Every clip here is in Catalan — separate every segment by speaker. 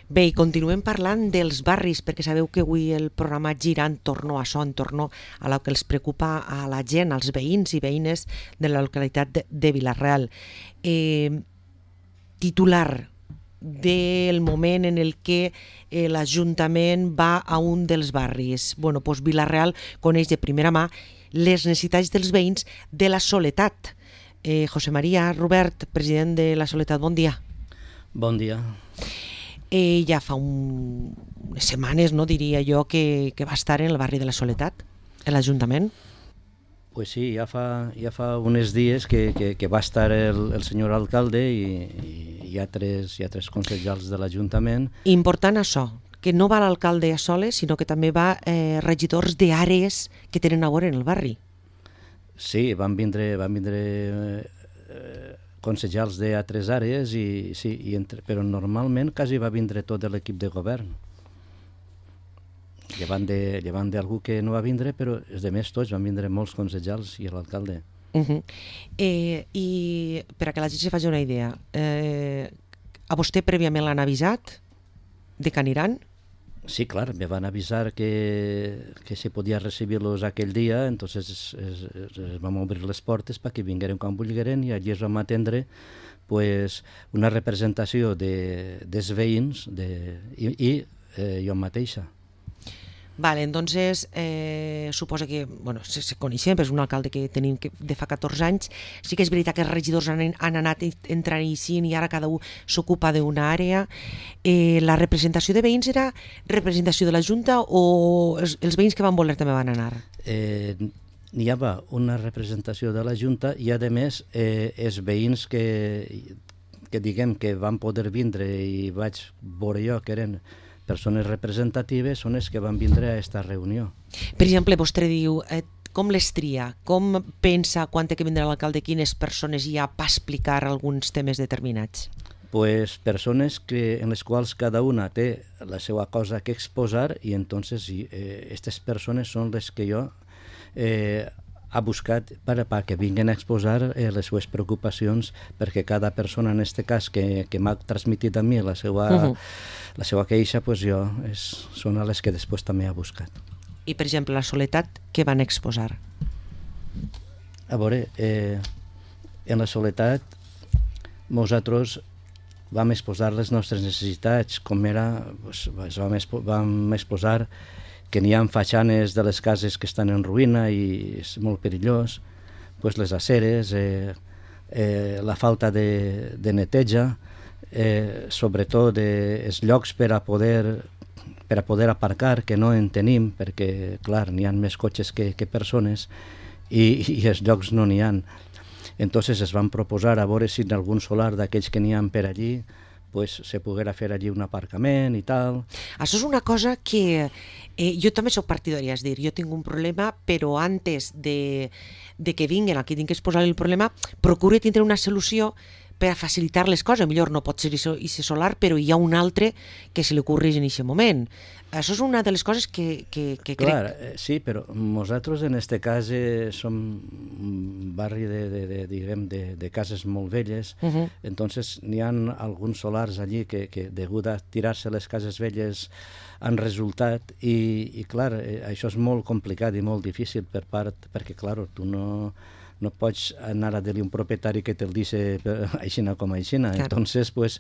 Speaker 1: Bé, i continuem parlant dels barris, perquè sabeu que avui el programa gira entorn a això, entorn a el que els preocupa a la gent, als veïns i veïnes de la localitat de Vila-real. Titular del moment en el que l'Ajuntament va a un dels barris. Bueno, doncs Vila-real coneix de primera mà les necessitats dels veïns de la Soletat. José María Robert, president de la Soletat, bon dia.
Speaker 2: Bon dia.
Speaker 1: Ja fa unes setmanes, no, diria jo, que va estar en el barri de la Soletat, en l'Ajuntament.
Speaker 2: Pues sí, ja fa uns dies que va estar el senyor alcalde i hi ha tres consellers de l'Ajuntament.
Speaker 1: Important això, que no va l'alcalde a soles, sinó que també va regidors d'àrees que tenen a veure en el barri.
Speaker 2: Sí, van vindre consellers d'altres àrees, però normalment quasi va vindre tot l'equip de govern. Llevant d'algú que no va vindre, però els altres tots van vindre molts consellers i l'alcalde.
Speaker 1: I per a que la gent se faci una idea, a vostè prèviament l'han avisat de que aniran?
Speaker 2: Sí, clar, me van avisar que se podia recibir-los aquell dia, entonces vam obrir les portes perquè vingueren quan volgueren i allí es vam atendre pues, una representació dels veïns i jo mateixa.
Speaker 1: Vale, entonces suposa que se coneixen, però és un alcalde que tenim de fa 14 anys. Sí que és veritat que els regidors han anat entrant i eixint i ara cada un s'ocupa d'una àrea. La representació de veïns era representació de la Junta o els veïns que van voler també van anar?
Speaker 2: N'hi havia una representació de la Junta i a més els veïns que diguem que van poder vindre i vaig veure jo que eren persones representatives són les que van vindre a aquesta reunió.
Speaker 1: Per exemple, vostè diu, com les tria? Com pensa quan té que vindre l'alcalde quines persones hi ha per explicar alguns temes determinats?
Speaker 2: Pues persones en les quals cada una té la seva cosa que exposar i entonces aquestes persones són les que jo ha buscat perquè vinguin a exposar les seves preocupacions, perquè cada persona, en aquest cas, que m'ha transmitit a mi la seva queixa, pues són les que després també ha buscat.
Speaker 1: I, per exemple, la Soletat, què van exposar?
Speaker 2: A veure, en la Soletat nosaltres vam exposar les nostres necessitats, com era, vam exposar que n'hi ha façanes de les cases que estan en ruïna i és molt perillós, pues les aceres, la falta de neteja, sobretot els llocs per a poder aparcar, que no en tenim, perquè, clar, n'hi ha més cotxes que persones i els llocs no n'hi ha. Entonces es van proposar a veure si en algun solar d'aquells que n'hi ha per allí pues se poguera fer allí un aparcament i tal.
Speaker 1: Això és una cosa que jo també soc partidària, és dir, jo tinc un problema, però antes de que vinguin aquí tinc que exposar el problema, procuro tindre una solució per a facilitar les coses. Millor no pot ser aquest solar, però hi ha un altre que se li ocorreix en aquest moment. Això és una de les coses que crec...
Speaker 2: Clar, sí, però nosaltres en aquest cas som un barri de cases molt velles, entonces n'hi ha alguns solars allí que degut a tirar-se les cases velles han resultat i clar, això és molt complicat i molt difícil perquè clar, tu no pots anar a dir-li un propietari que te'l dice aixina com aixina. Claro. Entonces, pues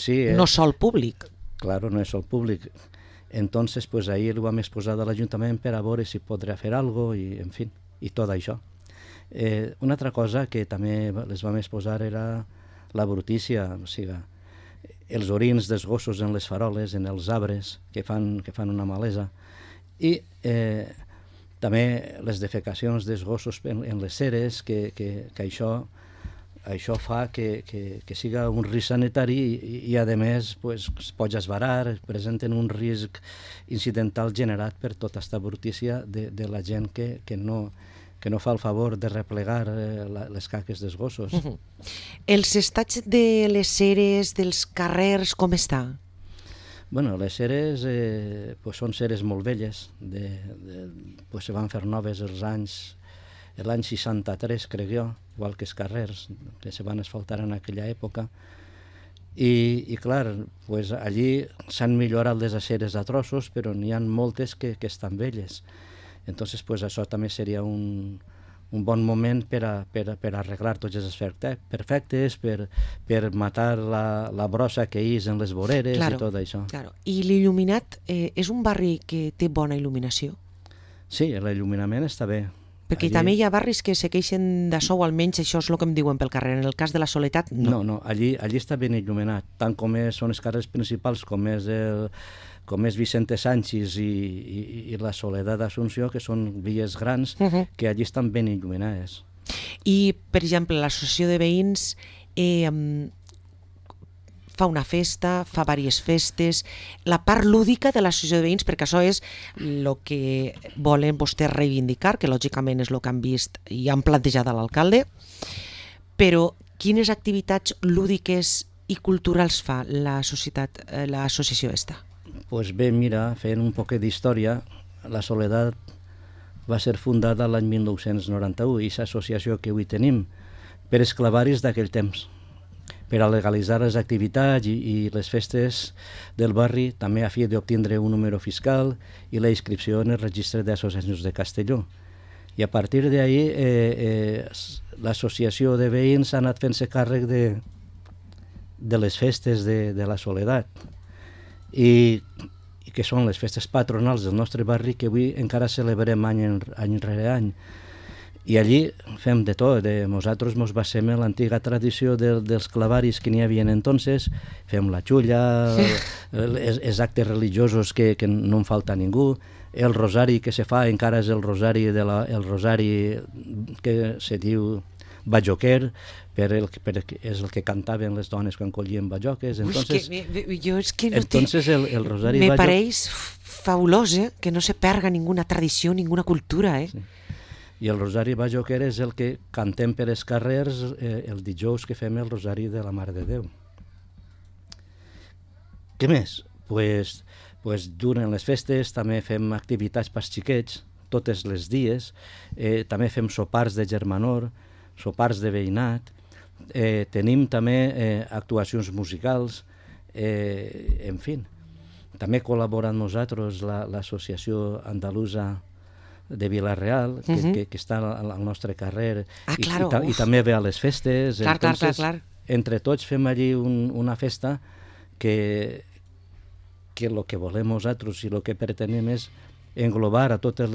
Speaker 2: sí.
Speaker 1: No sol públic.
Speaker 2: Claro, no és sol públic. Entonces, pues ahí ho vam exposar de l'Ajuntament per a veure si podrà fer alguna cosa i, en fi, i tot això. Una altra cosa que també les vam exposar era la brutícia, o sigui, els orins dels gossos en les faroles, en els arbres, que fan una malesa, i també les defecacions dels gossos en les ceres, que això fa que siga un risc sanitari i a més pues, es pot esvarar, presenten un risc incidental generat per tota aquesta brutícia de la gent que no fa el favor de replegar les caques dels gossos.
Speaker 1: Els estats de les ceres, dels carrers, com està?
Speaker 2: Bueno, les ceres pues són ceres molt velles, pues se van fer noves l'any 63, crec jo, igual que els carrers, que se van asfaltar en aquella època, I clar, pues, allí s'han millorat les aceres a trossos, però n'hi ha moltes que estan velles. Entonces, pues, això també seria un bon moment per arreglar tots els perfectes, per matar la brossa que hi és en les voreres i tot això.
Speaker 1: Claro. I l'il·luminat és un barri que té bona il·luminació?
Speaker 2: Sí, l'il·luminament està bé.
Speaker 1: Perquè també hi ha barris que se queixen d'això, o almenys això és el que em diuen pel carrer. En el cas de la Soledat, no.
Speaker 2: No, allí està ben il·luminat, tant com són els carrers principals, com és Vicente Sánchez i la Soledat d'Assumpció, que són vies grans, que allí estan ben il·luminades.
Speaker 1: I, per exemple, l'associació de veïns fa una festa, fa diverses festes, la part lúdica de l'associació de veïns, perquè això és el que volen vostès reivindicar, que lògicament és el que han vist i han plantejat a l'alcalde, però quines activitats lúdiques i culturals fa l'associació esta?
Speaker 2: Pues bé, mira, fent un poc d'història, la Soledat va ser fundada l'any 1991 i l'associació que avui tenim per esclavaris d'aquell temps, per a legalitzar les activitats i les festes del barri, també a fi d'obtindre un número fiscal i la inscripció en el registre d'associacions de Castelló. I a partir d'ahir l'associació de veïns ha anat fent-se càrrec de les festes de la Soledat i que són les festes patronals del nostre barri, que avui encara celebrem any rere any. I allí fem de tot. Nosaltres ens basem en l'antiga tradició dels clavaris que n'hi havia entonces, fem la xulla, els actes religiosos que no en falta ningú, el rosari que se fa encara és el rosari que se diu bajoquer, és el que cantaven les dones quan collien bajoques. Entonces, el rosari
Speaker 1: me pareix fabulós, que no se perga ninguna tradició, ninguna cultura.
Speaker 2: Sí. I el rosari bajoquer és el que cantem per els carrers el dijous que fem el rosari de la Mare de Déu. Què més? Pues durant les festes també fem activitats pels xiquets, totes les dies, també fem sopars de germanor, sopars de veïnat, tenim també actuacions musicals, en fi. També col·labora amb nosaltres l'associació andalusa de Vila-real, que està al nostre carrer, i també ve a les festes.
Speaker 1: Clar.
Speaker 2: Entre tots fem allí una festa que el que volem nosaltres i el que pretenem és englobar a totes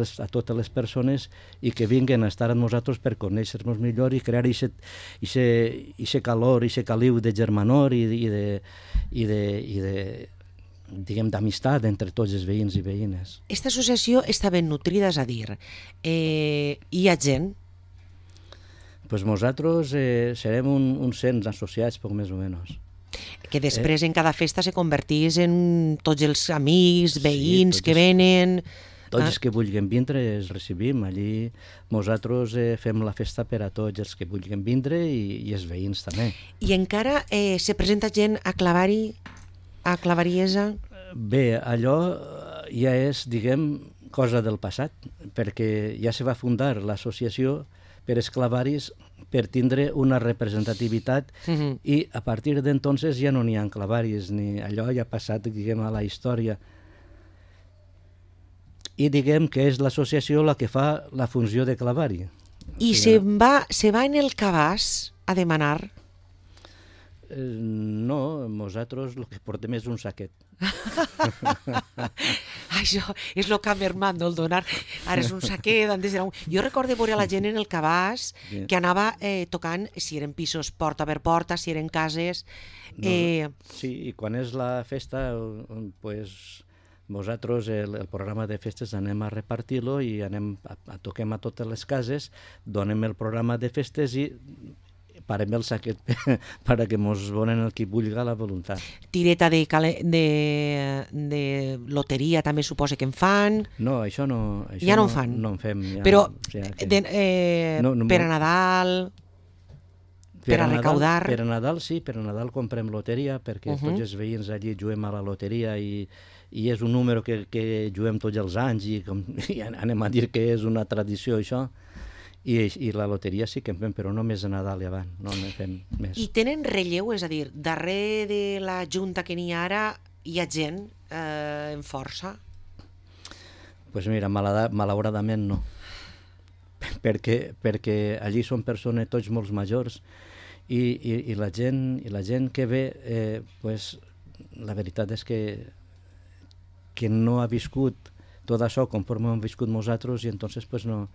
Speaker 2: les persones i que vinguin a estar amb nosaltres per conèixer-nos millor i crear aquest calor, aquest caliu de germanor i d'amistat entre tots els veïns i veïnes.
Speaker 1: Aquesta associació està ben nutrida, és a dir, hi ha gent?
Speaker 2: Pues nosaltres serem uns 100 associats, poc més o menys.
Speaker 1: Que després en cada festa se convertís en tots els amics, veïns que venen...
Speaker 2: Tots els que vulguin vindre els recibim. Allí nosaltres fem la festa per a tots els que vulguin vindre i els veïns també.
Speaker 1: I encara se presenta gent a clavar-hi, a clavariesa?
Speaker 2: Bé, allò ja és, diguem, cosa del passat, perquè ja se va fundar l'associació per esclavaris per tindre una representativitat i a partir d'entonces ja no n'hi ha clavaris, ni allò ja ha passat, diguem, a la història. I diguem que és l'associació la que fa la funció de clavari.
Speaker 1: I se va en el cabàs a demanar?
Speaker 2: No, nosaltres el que portem és un saquet.
Speaker 1: Això és el que ha mermat, no el donar. Ara és un saquet, antes era un... Jo recordo veure la gent en el cabàs que anava tocant, si eren pisos porta per porta, si eren cases...
Speaker 2: Sí, i quan és la festa, pues... Nosaltres el programa de festes anem a repartir-lo i toquem a totes les cases, donem el programa de festes i parem el saquet perquè ens donen el que vulga la voluntat.
Speaker 1: Tireta de loteria també suposa que en fan?
Speaker 2: No, això no.
Speaker 1: Ja no en fan?
Speaker 2: No en fem.
Speaker 1: Però per a Nadal... Per a recaudar...
Speaker 2: Per a Nadal sí, per a Nadal comprem loteria perquè tots els veïns allí juguem a la loteria i és un número que juguem tots els anys i anem a dir que és una tradició això I la loteria sí que en fem, però només a Nadal i avant, no en fem més.
Speaker 1: I tenen relleu, és a dir, darrere de la junta que n'hi ha ara hi ha gent en força?
Speaker 2: Pues mira, malauradament no. Perquè allí són persones tots molt majors i la gent que ve, pues, la veritat és que no ha viscut tot això conforme hem viscut nosaltres i entonces pues no,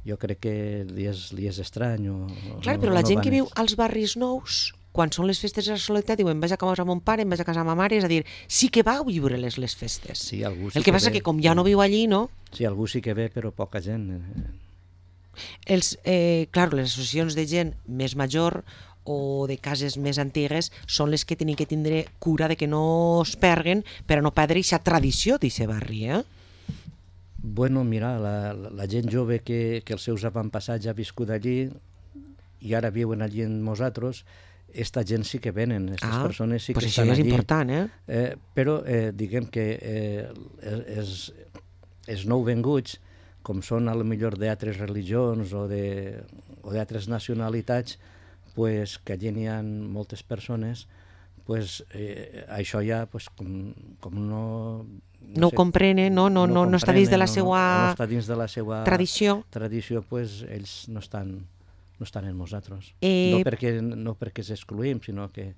Speaker 2: jo crec que li és estrany.
Speaker 1: Clar, però la gent que viu als barris nous, quan són les festes de la Soledat, diuen vaig a casa amb mon pare, vaig a casa amb ma mare, és a dir, sí que va a viure les festes.
Speaker 2: Sí, algú sí
Speaker 1: el que passa
Speaker 2: ve,
Speaker 1: que com ja no viu allí, no?
Speaker 2: Sí, algú sí que ve, però poca gent.
Speaker 1: Clar, les associacions de gent més major o de cases més antigues són les que tenen que tindre cura de que no es perguen per a no perdre aquesta tradició d'aquest barri,
Speaker 2: Bueno, mira, la gent jove que els seus avantpassats ha viscut allí i ara viuen allí amb nosaltres, esta gent sí que venen, aquestes persones sí que
Speaker 1: pues
Speaker 2: estan allí.
Speaker 1: Això és important,
Speaker 2: però diguem que els nouvinguts, com són a lo millor d'altres religions o d'altres nacionalitats, pues, que allí n'hi ha moltes persones, pues, això ja pues, com no...
Speaker 1: No ho comprenen, no està dins de la seva tradició,
Speaker 2: pues, ells no estan en nosaltres. No perquè els excluïm, sinó que...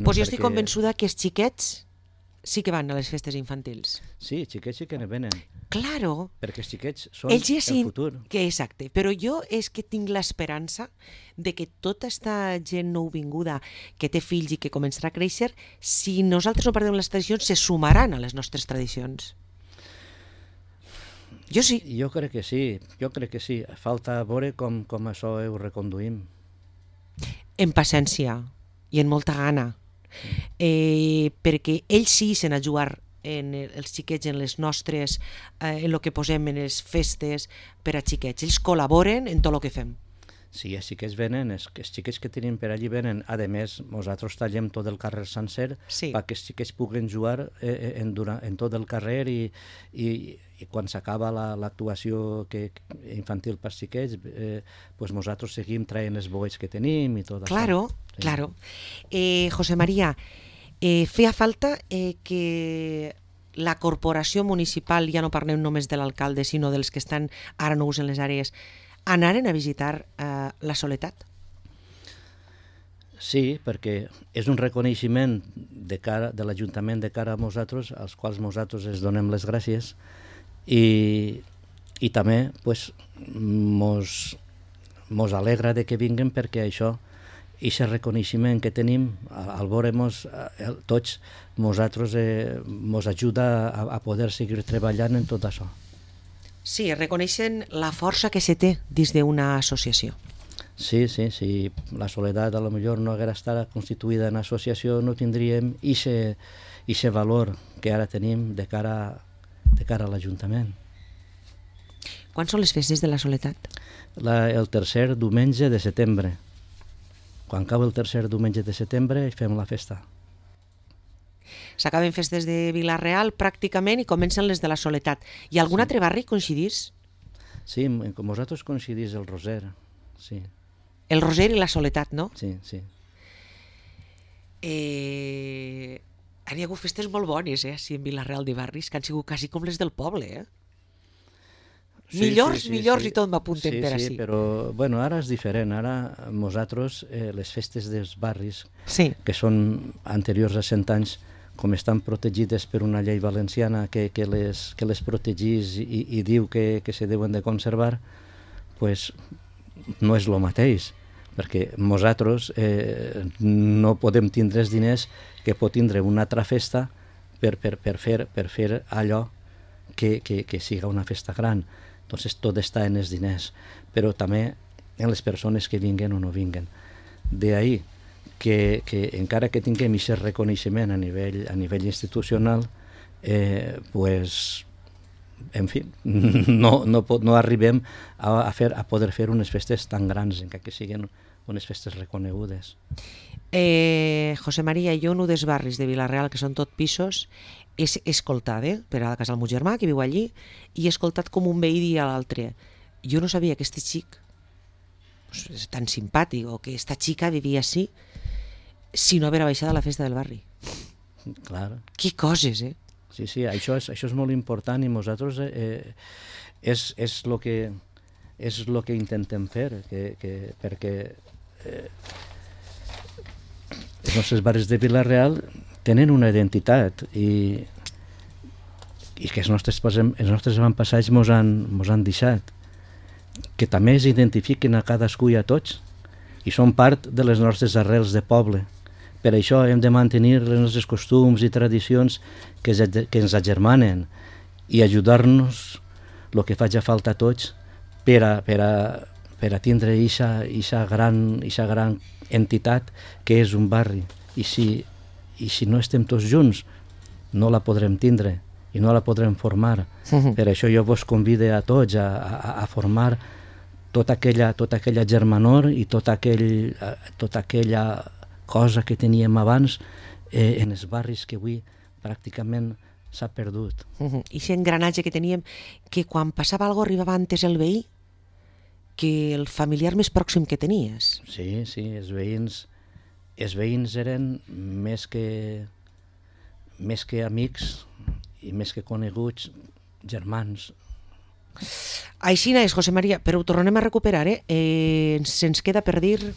Speaker 1: Pues jo estic convençuda que els xiquets sí que van a les festes infantils.
Speaker 2: Sí, xiquets sí que ne venen.
Speaker 1: Claro.
Speaker 2: Perquè els xiquets són el futur.
Speaker 1: Exacte, però jo és que tinc l'esperança de que tota aquesta gent nouvinguda que té fills i que començarà a créixer, si nosaltres no perdem les tradicions, se sumaran a les nostres tradicions. Jo sí.
Speaker 2: Jo crec que sí. Falta veure com això ho reconduïm.
Speaker 1: En paciència i en molta gana. Perquè ells sí se'n a jugar els xiquets en les nostres en el que posem en les festes per a xiquets, ells col·laboren en tot el que fem.
Speaker 2: Sí, els xiquets venen, els xiquets que tenim per allí venen, a més nosaltres tallem tot el carrer sencer perquè els xiquets puguen jugar en tot el carrer i quan s'acaba l'actuació infantil per xiquets pues nosaltres seguim traient els boets que tenim i tot
Speaker 1: això. Claro. José María, feia falta que la corporació municipal, ja no parlem només de l'alcalde, sinó dels que estan ara nous en les àrees, anaren a visitar la Soledat?
Speaker 2: Sí, perquè és un reconeixement de l'Ajuntament de cara a nosaltres, als quals nosaltres els donem les gràcies, i també pues, mos alegra de que vinguen perquè això, aquest reconeixement que tenim, al veure-nos tots, nosaltres mos ajuda a poder seguir treballant en tot això.
Speaker 1: Sí, reconeixen la força que se té dins d'una associació.
Speaker 2: Sí, la Soledat a lo millor no haguera estat constituïda en associació, no tindríem aquest valor que ara tenim de cara a l'Ajuntament.
Speaker 1: Quan són les festes de la Soledat?
Speaker 2: El tercer diumenge de setembre. Quan cau el tercer diumenge de setembre fem la festa.
Speaker 1: S'acaben festes de Vila-real pràcticament i comencen les de la Soledat. Hi ha algun altre barri coincidís?
Speaker 2: Sí, com vosaltres coincidís el Roser, sí.
Speaker 1: El Roser i la Soledat, no?
Speaker 2: Sí.
Speaker 1: Han hi hagut festes molt bones, sí, en Vila-real de barris, que han sigut quasi com les del poble, Millors i tot m'apunten per així.
Speaker 2: Sí, però bueno, ara és diferent. Ara nosaltres, les festes dels barris, que són anteriors a 100 anys, com estan protegides per una llei valenciana que les protegís i diu que se deuen de conservar, pues no és el mateix, perquè nosaltres no podem tindre els diners que pot tindre una altra festa per fer allò que siga una festa gran. Entonces tot està en els diners, però també en les persones que vinguen o no vinguen. D'ahí que encara que tinguem aquest reconeixement a nivell institucional, pues, en fi, no arribem a poder fer unes festes tan grans, encara que siguin unes festes reconegudes.
Speaker 1: José María, jo en un dels barris de Vila-real, que són tot pisos, he escoltat per a la casa del meu germà, que viu allí, i he escoltat com un veí dia a l'altre. Jo no sabia que este xic pues, és tan simpàtic, o que esta xica vivia així si no haver baixat a la festa del barri.
Speaker 2: Clar.
Speaker 1: Que coses, eh?
Speaker 2: Sí, sí, això és molt important i nosaltres és el que intentem fer, perquè els nostres barris de Vila-real tenen una identitat i que els nostres avantpassats mos han deixat, que també es identifiquen a cadascú i a tots i són part de les nostres arrels de poble. Per això hem de mantenir els nostres costums i tradicions que ens agermanen i ajudar-nos el que faci falta a tots per a tindre aquesta gran entitat que és un barri. I si no estem tots junts, no la podrem tindre i no la podrem formar. Per això jo vos convido a tots a formar tota aquella germanor i tota aquella cosa que teníem abans en els barris que avui pràcticament s'ha perdut.
Speaker 1: I aquest engranatge que teníem, que quan passava alguna cosa arribava antes el veí que el familiar més pròxim que tenies.
Speaker 2: Sí, els veïns eren més que amics i més que coneguts, germans.
Speaker 1: Així és, José María, però ho tornem a recuperar, se'ns queda per dir...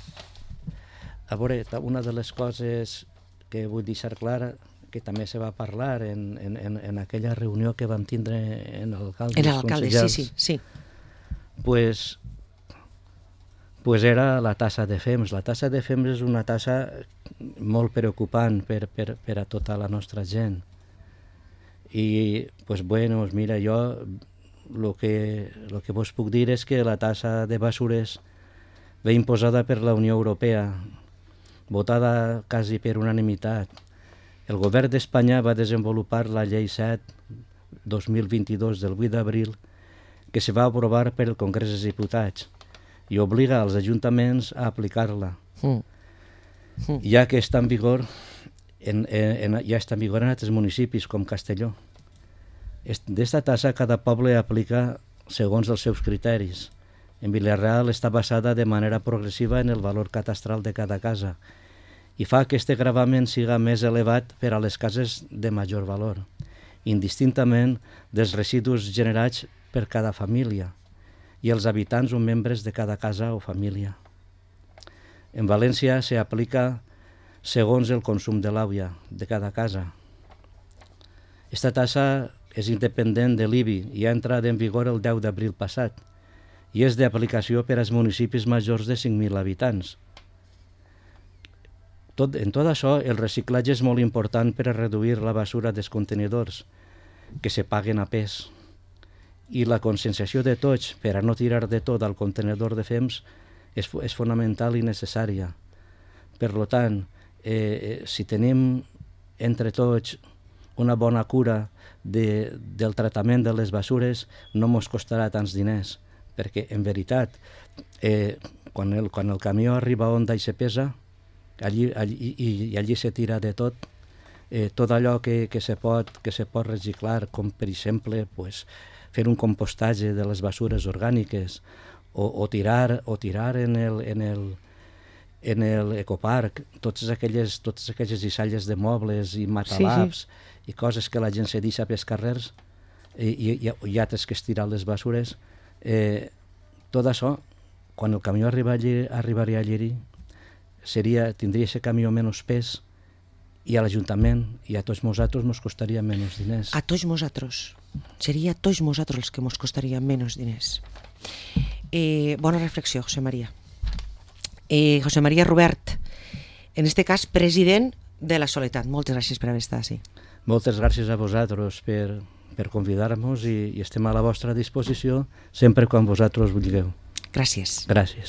Speaker 2: A veure, una de les coses que vull deixar clara, que també se va parlar en aquella reunió que vam tindre en l'alcalde.
Speaker 1: En l'alcalde, sí.
Speaker 2: Pues era la tassa de fems. La tassa de fems és una tassa molt preocupant per a tota la nostra gent. I, pues bueno, mira, jo el que vos puc dir és que la tassa de basures ve imposada per la Unió Europea, votada quasi per unanimitat. El govern d'Espanya va desenvolupar la llei 7/2022 del 8 d'abril que se va aprovar per el Congrés dels Diputats i obliga als ajuntaments a aplicar-la. Ja que està en vigor en altres municipis com Castelló. D'esta tassa cada poble aplica segons els seus criteris. En Vila-real està basada de manera progressiva en el valor catastral de cada casa i fa que aquest gravamen siga més elevat per a les cases de major valor, indistintament dels residus generats per cada família i els habitants o membres de cada casa o família. En València s'aplica segons el consum de l'aigua de cada casa. Esta tassa és independent de l'IBI i ha entrat en vigor el 10 d'abril passat i és d'aplicació per als municipis majors de 5.000 habitants. En tot això, el reciclatge és molt important per a reduir la basura dels contenidors, que se paguen a pes. I la conscienciació de tots per a no tirar de tot al contenidor de fems és fonamental i necessària. Per tant, si tenim entre tots una bona cura del tractament de les basures, no ens costarà tants diners, perquè en veritat, quan el camió arriba on i se pesa, allí se tira de tot, tot allò que se pot reciclar, com per exemple fer un compostatge de les basures orgàniques o tirar en l'ecoparc totes aquelles guissalles de mobles i matalabs i coses que la gent se deixa pels carrers i altres que es tiren les basures. Tot això, quan el camió arribaria allí, tindria aquest camió menys pes i a l'Ajuntament i a tots nosaltres ens costaria menys diners.
Speaker 1: A tots nosaltres. Seria a tots nosaltres els que ens costaria menys diners. Bona reflexió, José María. José María Rubert, en este cas, president de la Soletat. Moltes gràcies per haver estat així.
Speaker 2: Moltes gràcies a vosaltres per convidar-nos i estem a la vostra disposició sempre quan vosaltres vulgueu.
Speaker 1: Gràcies.
Speaker 2: Gràcies.